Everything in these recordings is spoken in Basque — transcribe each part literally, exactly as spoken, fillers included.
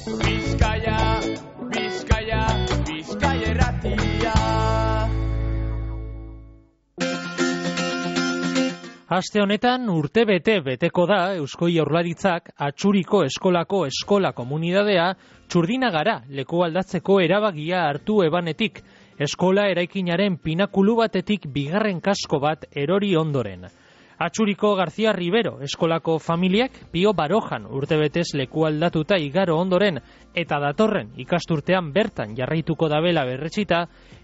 Bizkaia, Bizkaia, Bizkaia irratia. Aste honetan urte bete beteko da Eusko Jaurlaritzak Atxuriko eskolako eskola komunidadea Txurdinagara leku aldatzeko erabagia hartu ebanetik, eskola eraikinaren pinakulu batetik bigarren kasko bat erori ondoren. Atxuriko García Rivero eskolako familiak Pio Barojan urtebetez leku aldatuta igaro ondoren eta datorren ikasturtean bertan jarraituko dabela berretsita,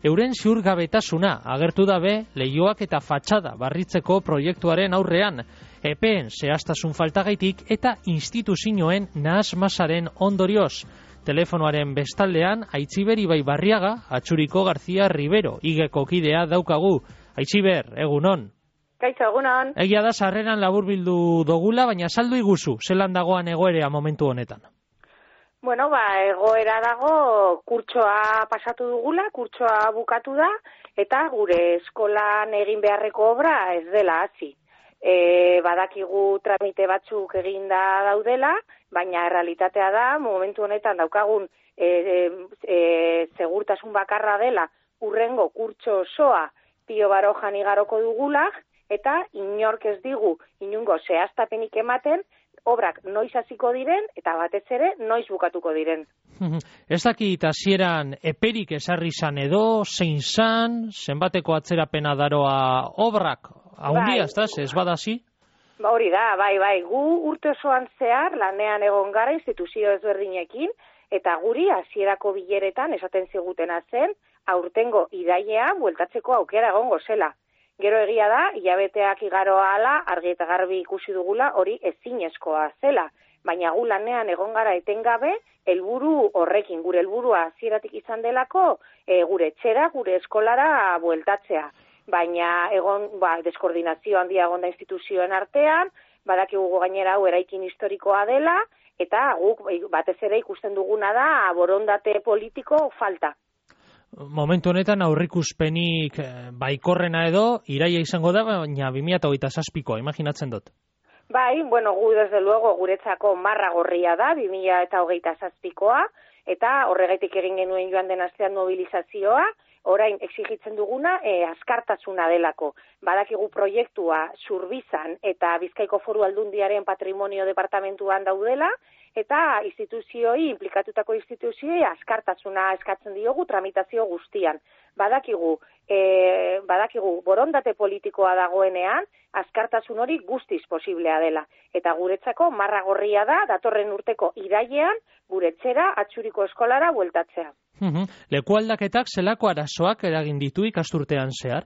euren ziurgabetasuna agertu dabe leihoak eta fatxada barritzeko proiektuaren aurrean, epeen zehaztasun faltagaitik eta instituzioen nahasmasaren ondorioz. Telefonoaren bestaldean Aitziber Ibai Barriaga, Atxuriko García Rivero igeko kidea daukagu. Aitziber, egunon. Kaixo, egunon. Egia da sarreran laburbildu dogula, baina saldu iguzu, zelan dagoan egoerea momentu honetan? Bueno, ba, egoera dago kurtsoa pasatu dugula, kurtsoa bukatu da, eta gure eskolan egin beharreko obra ez dela hasi. E, badakigu tramite batzuk eginda daudela, baina errealitatea da, momentu honetan daukagun e, e, e, segurtasun bakarra dela, urrengo kurtso osoa Pio Barojan igaroko dugula, eta inork ez digu inungo zehaztapenik ematen, obrak noiz hasiko diren, eta batez ere noiz bukatuko diren. Ez dakit hasieran eperik esarri zan edo, zein zan, zenbateko atzerapena daroa obrak, haundia, bai. Ez, ez badasi? Ba, hori da, bai, bai, gu urte osoan zehar, lanean egon gara instituzio ezberdinekin, eta guri hasierako bileretan esaten zigutena zen, aurtengo irailea bueltatzeko aukera egongo zela. Gero egia da, hilabeteak igaro ahala, argi eta garbi ikusi dugula, hori ezinezkoa zela. Baina gu lanean egon gara etengabe, helburu horrekin, gure helburua hasieratik izan delako, e, gure etxera, gure eskolara bueltatzea. Baina egon, ba, deskoordinazio handia egon da instituzioen artean, badakigu gainera hau eraikin historikoa dela, eta guk batez ere ikusten duguna da borondate politiko falta. Momentu honetan aurrikuspenik baikorrena edo, iraia izango da, baina bi mila hogeita zazpikoa, imaginatzen dut. Bai, bueno, gu desde luego guretzako marra gorria da, bi mila hogeita zazpikoa, eta horregaitik egin genuen joan den astean mobilizazioa, orain exigitzen duguna e, askartasuna delako. Badakigu proiektua Zurbizan eta Bizkaiko Foru Aldundiaren patrimonio departamentuan daudela, eta instituzioi, implikatutako instituzioi askartasuna eskatzen diogu tramitazio guztian. Badakigu, e, badakigu borondate politikoa dagoenean, askartasun hori guztiz posiblea dela. Eta guretzako marra gorria da, datorren urteko irailean, gure etxera Atxuriko eskolara bueltatzea. Uhum. Leku aldaketak zelako arazoak eragin ditu ikasturtean zehar?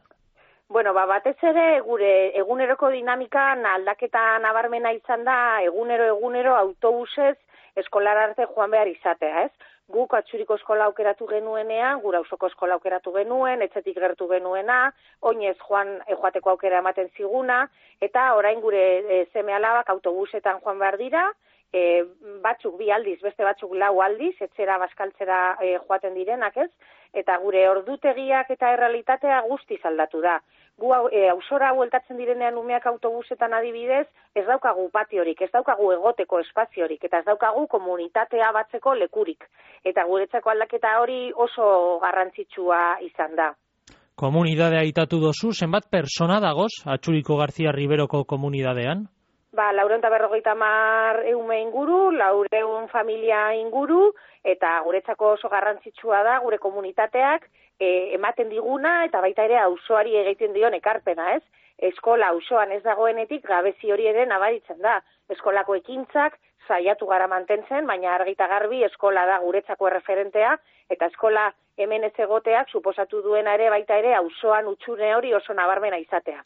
Bueno, ba, batez ere gure eguneroko dinamikan aldaketa nabarmena izan da, egunero egunero autobusez eskolara arte joan behar izatea, ez? Guk Atxuriko eskola aukeratu genuenean, gura auzoko eskola aukeratu genuen, etxetik gertu genuena, oinez joan joateko aukera ematen ziguna, eta orain gure e, seme alabak autobusetan joan behar dira, e, batzuk bi aldiz, beste batzuk lau aldiz, etxera baskaltzera e, joaten direnak, ez? Eta gure ordutegiak eta errealitatea guztiz aldatu da. Gu e, auzora bueltatzen direnean umeak autobusetan adibidez, ez daukagu patiorik, ez daukagu egoteko espaziorik, eta ez daukagu komunitatea batzeko lekurik. Eta guretzako aldaketa hori oso garrantzitsua izan da. Komunidadea aitatu dozu, zenbat persona dagoz Atxuriko García Riveroko komunidadean? Ba, laureun eta berrogeita hamar eume inguru, laureun familia inguru, eta guretzako oso garrantzitsua da, gure komunitateak e, ematen diguna, eta baita ere auzoari egiten dion ekarpena, ez? Eskola auzoan ez dagoenetik gabezi hori ere nabaritzen da. Eskolako ekintzak saiatu gara mantentzen, baina argi eta garbi eskola da guretzako erreferentea, eta eskola hemen ez egoteak suposatu duena ere baita ere auzoan utxune hori oso nabarmena izatea.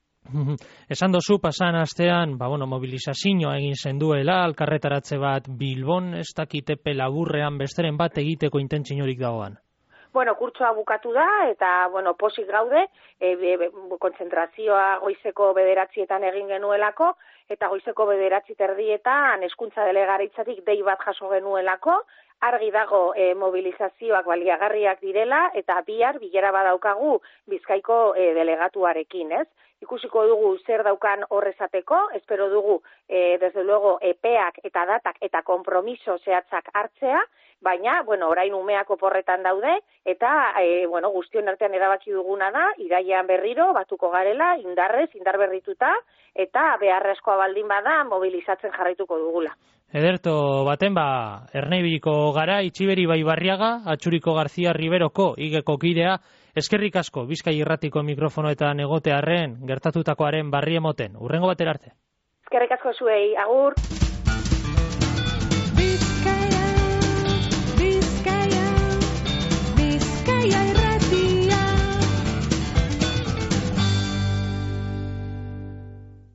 Esan dozu, pasan astean, ba, bueno, mobilizazioa egin zenduela, alkarretaratze bat Bilbon, ez dakitepe laburrean besteren bat egiteko intentzinorik dagoan. Bueno, kurtsoa bukatu da, eta, bueno, posik gaude, e, e, kontzentrazioa goizeko bederatzietan egin genuelako, eta goizeko bederatzi terdietan hezkuntza delegaritzatik dei bat jaso genuelako, argi dago e, mobilizazioak baliagarriak direla, eta bihar bilera badaukagu Bizkaiko e, delegatuarekin, ez? Ikusiko dugu zer daukan horrezateko, espero dugu, e, desde luego, epeak eta datak eta kompromiso zehatzak hartzea, baina, bueno, orain umeak oporretan daude, eta, e, bueno, guztion artean erabaki duguna da, irailean berriro, batuko garela, indarrez, indar berrituta, eta beharrezkoa baldin bada, mobilizatzen jarraituko dugula. Ederto, baten ba, Erneibiliko gara, Itxiberi Baibarriaga, Atxuriko Garzia Riberoko, igeko kidea, eskerrik asko, Bizkai Irratiko mikrofonoetan egotearren, gertatutakoaren barri emoten. Urrengo batera arte. Eskerrik asko zuei, agur!